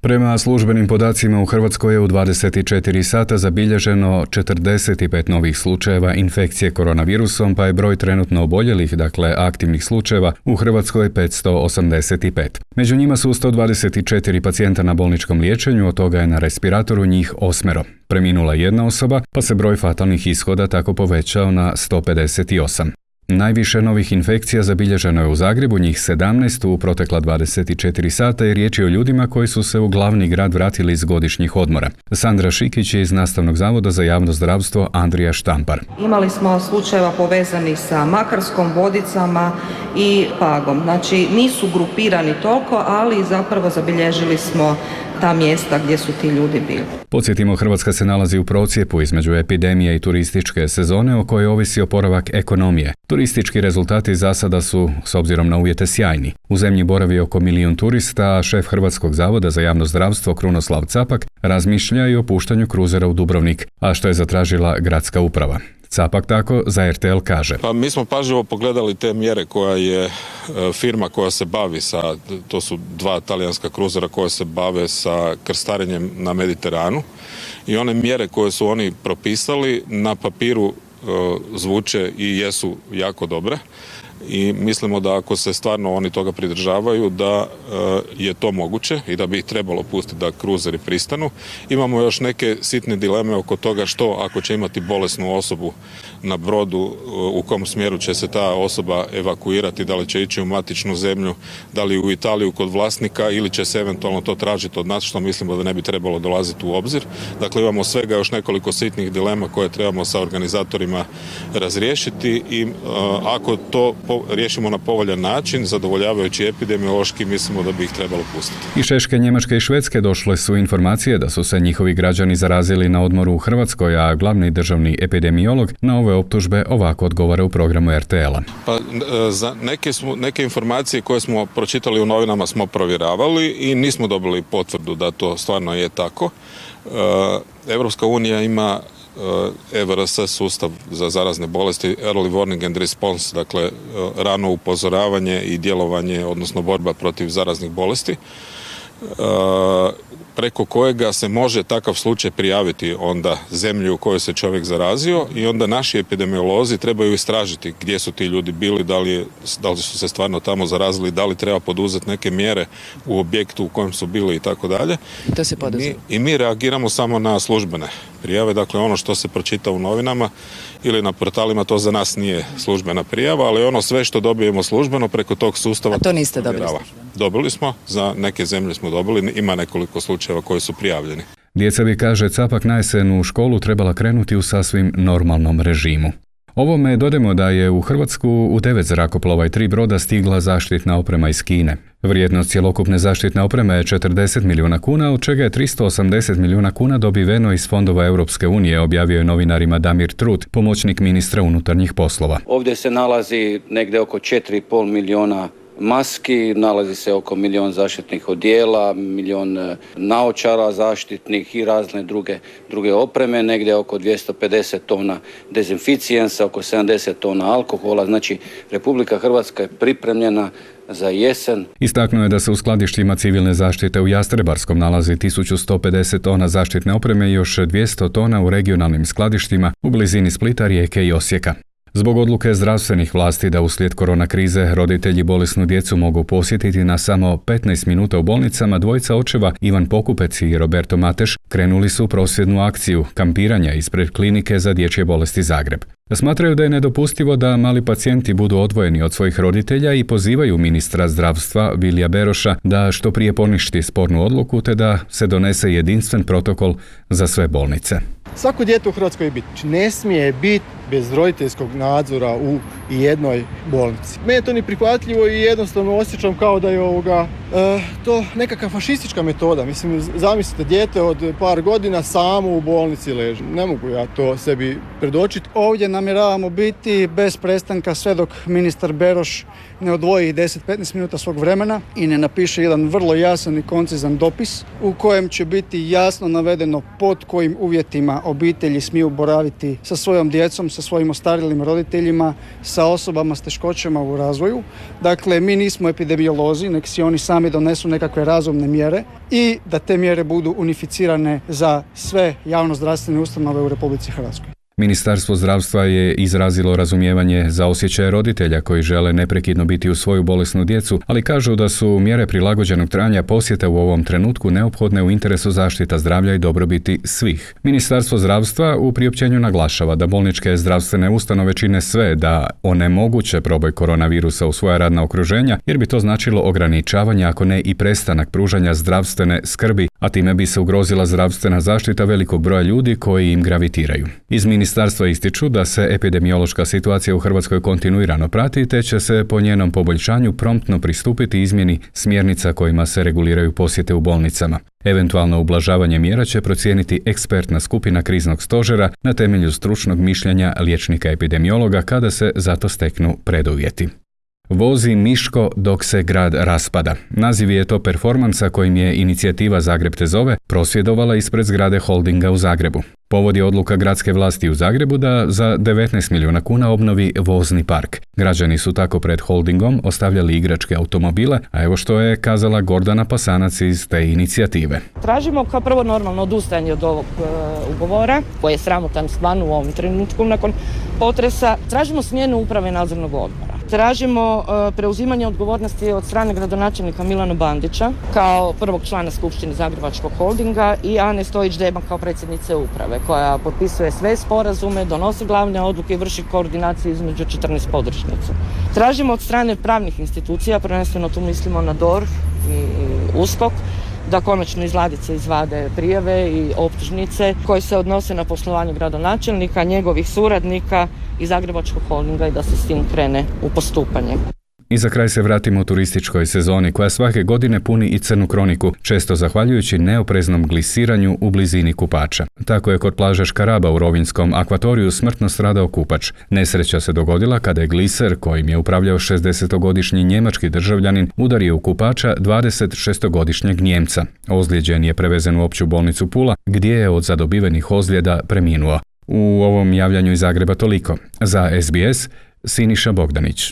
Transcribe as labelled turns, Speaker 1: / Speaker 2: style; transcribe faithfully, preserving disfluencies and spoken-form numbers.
Speaker 1: Prema službenim podacima u Hrvatskoj je u dvadeset četiri sata zabilježeno četrdeset pet novih slučajeva infekcije koronavirusom, pa je broj trenutno oboljelih, dakle aktivnih slučajeva, u Hrvatskoj petsto osamdeset pet. Među njima su sto dvadeset četiri pacijenta na bolničkom liječenju, od toga je na respiratoru njih osmero. Preminula jedna osoba, pa se broj fatalnih ishoda tako povećao na sto pedeset osam. Najviše novih infekcija zabilježeno je u Zagrebu, njih sedamnaest u protekla dvadeset četiri sata i riječ je o ljudima koji su se u glavni grad vratili iz godišnjih odmora. Sandra Šikić je iz Nastavnog zavoda za javno zdravstvo Andrija Štampar.
Speaker 2: Imali smo slučajeva povezanih sa Makarskom, Vodicama i Pagom. Znači nisu grupirani toliko, ali zapravo zabilježili smo ta mjesta gdje su ti ljudi bili.
Speaker 1: Podsjetimo, Hrvatska se nalazi u procjepu između epidemije i turističke sezone o kojoj ovisi oporavak ekonomije. Turistički rezultati za sada su, s obzirom na uvjete, sjajni. U zemlji boravi oko milijun turista, a šef Hrvatskog zavoda za javno zdravstvo Krunoslav Capak razmišlja i o puštanju kruzera u Dubrovnik, a što je zatražila gradska uprava. Capak tako za R T L kaže.
Speaker 3: Pa mi smo pažljivo pogledali te mjere koja je firma koja se bavi sa, to su dva talijanska kruzera koja se bave sa krstarenjem na Mediteranu, i one mjere koje su oni propisali na papiru zvuče i jesu jako dobre. I mislimo da ako se stvarno oni toga pridržavaju, da je to moguće i da bi ih trebalo pustiti da kruzeri pristanu. Imamo još neke sitne dileme oko toga što ako će imati bolesnu osobu na brodu, u kom smjeru će se ta osoba evakuirati, da li će ići u matičnu zemlju, da li u Italiju kod vlasnika ili će se eventualno to tražiti od nas, što mislimo da ne bi trebalo dolaziti u obzir. Dakle, imamo svega još nekoliko sitnih dilema koje trebamo sa organizatorima razriješiti i ako to riješimo na povoljan način, zadovoljavajući epidemiološki, mislimo da bi ih trebalo pustiti.
Speaker 1: Iz Češke, Njemačke i Švedske došle su informacije da su se njihovi građani zarazili na odmoru u Hrvatskoj, a glavni državni epidemiolog na ove optužbe ovako odgovara u programu R T L-a.
Speaker 3: Pa, za neke, smo, neke informacije koje smo pročitali u novinama smo provjeravali i nismo dobili potvrdu da to stvarno je tako. Europska unija ima E V R S sustav za zarazne bolesti, Early Warning and Response, dakle rano upozoravanje i djelovanje, odnosno borba protiv zaraznih bolesti, preko kojega se može takav slučaj prijaviti onda zemlji u kojoj se čovjek zarazio, i onda naši epidemiolozi trebaju istražiti gdje su ti ljudi bili, da li, je, da li su se stvarno tamo zarazili, da li treba poduzeti neke mjere u objektu u kojem su bili i tako dalje.
Speaker 4: To se poduzme.
Speaker 3: I mi reagiramo samo na službene prijave, dakle ono što se pročita u novinama ili na portalima, to za nas nije službena prijava, ali ono sve što dobijemo službeno preko tog sustava...
Speaker 4: A to niste dobili?
Speaker 3: Dobili smo, za neke zemlje smo dobili, ima nekoliko slučajeva koji su prijavljeni.
Speaker 1: Djeca bi, kaže Capak, na jesen u školu trebala krenuti u sasvim normalnom režimu. Ovome dodajmo da je u Hrvatsku u devet zrakoplova i tri broda stigla zaštitna oprema iz Kine. Vrijednost cjelokupne zaštitne opreme je četrdeset milijuna kuna, od čega je tristo osamdeset milijuna kuna dobiveno iz fondova Europske unije, objavio je novinarima Damir Trut, pomoćnik ministra unutarnjih poslova.
Speaker 5: Ovdje se nalazi negdje oko četiri i pol milijuna maski, nalazi se oko milion zaštitnih odijela, milion naočara zaštitnih i razne druge, druge opreme, negdje oko dvjesto pedeset tona dezinficijensa, oko sedamdeset tona alkohola. Znači, Republika Hrvatska je pripremljena za jesen.
Speaker 1: Istaknuo je da se u skladištima civilne zaštite u Jastrebarskom nalazi tisuću sto pedeset tona zaštitne opreme i još dvjesto tona u regionalnim skladištima u blizini Splita, Rijeke i Osijeka. Zbog odluke zdravstvenih vlasti da uslijed korona krize roditelji bolesnu djecu mogu posjetiti na samo petnaest minuta u bolnicama, dvojica očeva Ivan Pokupec i Roberto Mateš krenuli su u prosvjednu akciju kampiranja ispred klinike za dječje bolesti Zagreb. Smatraju da je nedopustivo da mali pacijenti budu odvojeni od svojih roditelja i pozivaju ministra zdravstva Vilija Beroša da što prije poništi spornu odluku te da se donese jedinstven protokol za sve bolnice.
Speaker 6: Svako dijete u Hrvatskoj biti. Ne smije biti bez roditeljskog nadzora u jednoj bolnici. Meni je to neprihvatljivo i jednostavno osjećam kao da je ovoga, e, to nekakva fašistička metoda. Mislim, zamislite, dijete od par godina samo u bolnici leži. Ne mogu ja to sebi predočiti.
Speaker 7: Ovdje namjeravamo biti bez prestanka sve dok ministar Beroš ne odvoji deset do petnaest minuta svog vremena i ne napiše jedan vrlo jasan i koncizan dopis u kojem će biti jasno navedeno pod kojim uvjetima obitelji smiju boraviti sa svojom djecom, sa svojim ostarjelim roditeljima, sa osobama s teškoćama u razvoju. Dakle, mi nismo epidemiolozi, nek si oni sami donesu nekakve razumne mjere i da te mjere budu unificirane za sve javno-zdravstvene ustanove u Republici Hrvatskoj.
Speaker 1: Ministarstvo zdravstva je izrazilo razumijevanje za osjećaje roditelja koji žele neprekidno biti uz svoju bolesnu djecu, ali kažu da su mjere prilagođenog trajanja posjeta u ovom trenutku neophodne u interesu zaštita zdravlja i dobrobiti svih. Ministarstvo zdravstva u priopćenju naglašava da bolničke zdravstvene ustanove čine sve da onemoguće proboj koronavirusa u svoja radna okruženja, jer bi to značilo ograničavanje, ako ne i prestanak pružanja zdravstvene skrbi, a time bi se ugrozila zdravstvena zaštita velikog broja ljudi koji im gravitiraju. Iz ministarstva ističu da se epidemiološka situacija u Hrvatskoj kontinuirano prati, te će se po njenom poboljšanju promptno pristupiti izmjeni smjernica kojima se reguliraju posjete u bolnicama. Eventualno ublažavanje mjera će procijeniti ekspertna skupina kriznog stožera na temelju stručnog mišljenja liječnika epidemiologa kada se zato steknu preduvjeti. Vozi Miško dok se grad raspada. Naziv je to performansa kojim je inicijativa Zagreb te zove prosvjedovala ispred zgrade Holdinga u Zagrebu. Povod je odluka gradske vlasti u Zagrebu da za devetnaest milijuna kuna obnovi vozni park. Građani su tako pred Holdingom ostavljali igračke automobile, a evo što je kazala Gordana Pasanac iz te inicijative.
Speaker 4: Tražimo kao prvo normalno odustajanje od ovog e, ugovora, koji je sramotan stvarno u ovom trenutku nakon potresa. Tražimo smjenu uprave nadzornog odbora. Tražimo e, preuzimanje odgovornosti od strane gradonačelnika Milana Bandića kao prvog člana Skupštine Zagrebačkog Holdinga i Ane Stojić-Deban kao predsjednice uprave, koja potpisuje sve sporazume, donosi glavne odluke i vrši koordinaciju između četrnaest podružnica. Tražimo od strane pravnih institucija, prvenstveno tu mislimo na D O R H i U S K O K, da konačno iz ladice izvade prijave i optužnice koje se odnose na poslovanje gradonačelnika, njegovih suradnika i Zagrebačkog Holdinga i da se s tim krene u postupanje.
Speaker 1: I za kraj se vratimo turističkoj sezoni koja svake godine puni i crnu kroniku, često zahvaljujući neopreznom glisiranju u blizini kupača. Tako je kod plaže Škaraba u Rovinjskom akvatoriju smrtno stradao kupač. Nesreća se dogodila kada je gliser, kojim je upravljao šezdesetogodišnji njemački državljanin, udario u kupača dvadesetšestogodišnjeg Njemca. Ozlijeđen je prevezen u opću bolnicu Pula, gdje je od zadobivenih ozljeda preminuo. U ovom javljanju iz Zagreba toliko. Za S B S, Siniša Bogdanić.